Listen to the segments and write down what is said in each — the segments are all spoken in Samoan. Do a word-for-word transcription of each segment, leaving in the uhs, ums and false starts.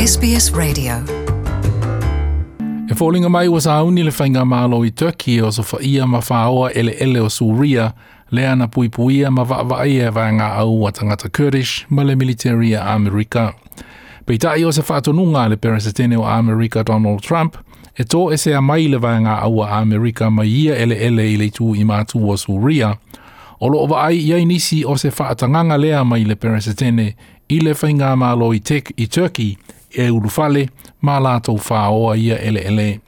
S B S Radio. E foliga mai ua sauni le faigamalo i Turkey o sofaia ma faoa eleele o Suria lea na puipuia ma vaavaaia e vaega au a tagata Kurdish ma le military a Amerika. Peitai o se faatonuga a le Peresetene o Amerika Donald Trump e toesea mai le vaega au a Amerika mai ia eleele i le itu i matu o Suria. O loo vaai i ai nisi o se faatagaga lea mai le Peresetene i le faigamalo i, tek, i Turkey e ulufale ma latou faoa ia eleele.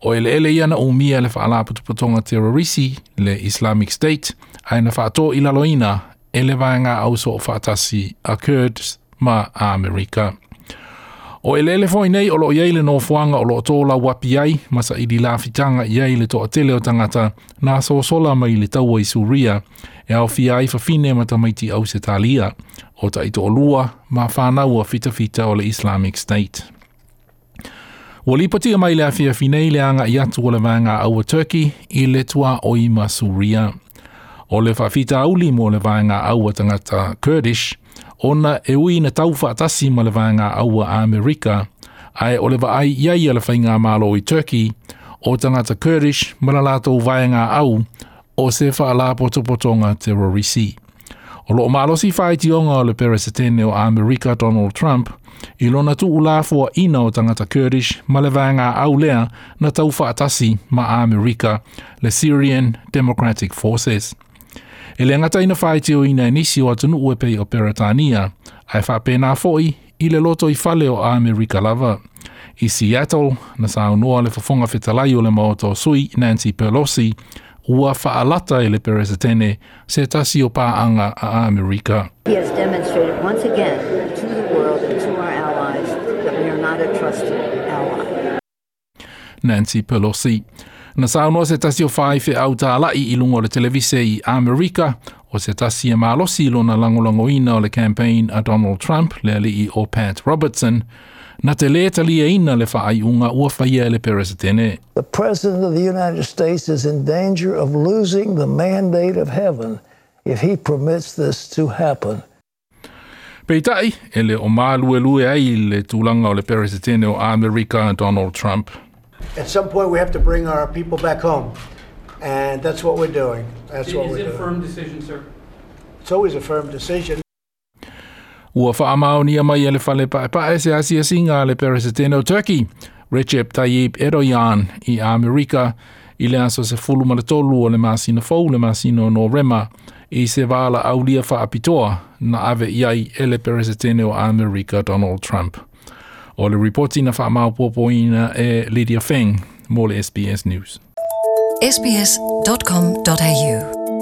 O eleele ia na umia le faalapotopotoga terrorisi le Islamic State ae na faatoilaloina e le vaega au soofaatasi a Kurds ma Amerika. O eleele foi nei o loo i ai le nofoaga o loo tolauapi ai ma saili lafitaga i ai le toatele o tagata na sosola mai le taua i Suria e aofia ai fafine ma tamaiti Ausetalia o taitoalua ma fanau a fitafita o le Islamic State. Ua lipotia mai le afiafi nei le agai atu o le vaega au a Turkey i le tuaoi ma Suria. O le faafitauli mo le vaega au a tagata Kurdish, ona e ui na tau faatasi ma le vaega au a Amerika, ae o le vaai i ai a le faigamalo i Turkey, o tagata Kurdish ma la latou vaega au o se faalapotopotoga terrorisi. O loo malosi faitioga o le Peresetene o Amerika Donald Trump i lona tuulafoaina o tagata Kurdish ma le vaega au lea na tau faatasi ma Amerika, le Syrian Democratic Forces. E le gata ina faitioina e nisi o atunuu e pei o Peretania, ae faapena foi i le lotoifale o Amerika lava. I Seattle, na saunoa le fofoga fetalai o le maota o sui Nancy Pelosi, ua faalata e le Peresetene se tasi o paaga a Amerika. He has demonstrated once again to the world and to our allies that we are not a trusted ally. Nancy Pelosi. Na saunoa se tasi o faifeau talai i luga o le televise i Amerika, o se tasi e malosi lona lagolagoina o le campaign a Donald Trump, le alii o Pat Robertson, na te lē taliaina le faaiuga ua faia e le Peresetene. The President of the United States is in danger of losing the mandate of heaven if he permits this to happen. Peitai, e le o maluelue ai le tulaga o le Peresetene o Amerika Donald Trump. At some point, we have to bring our people back home, and that's what we're doing. That's what Is we're it a doing. firm decision, sir? It's always a firm decision. Ua faamaonia mai e le fale paepae se asiasiga a le Peresetene o Turkey, Recep Tayyip Erdogan, i Amerika i le aso sefulu ma le tolu o le masina fou, le masina o Novema, i se valaaulia faapitoa na ave i ai e le Peresetene o Amerika Donald Trump. O le ripoti na faamaopoopoina e Lydia Feng mo le S B S News. S B S dot com dot A U.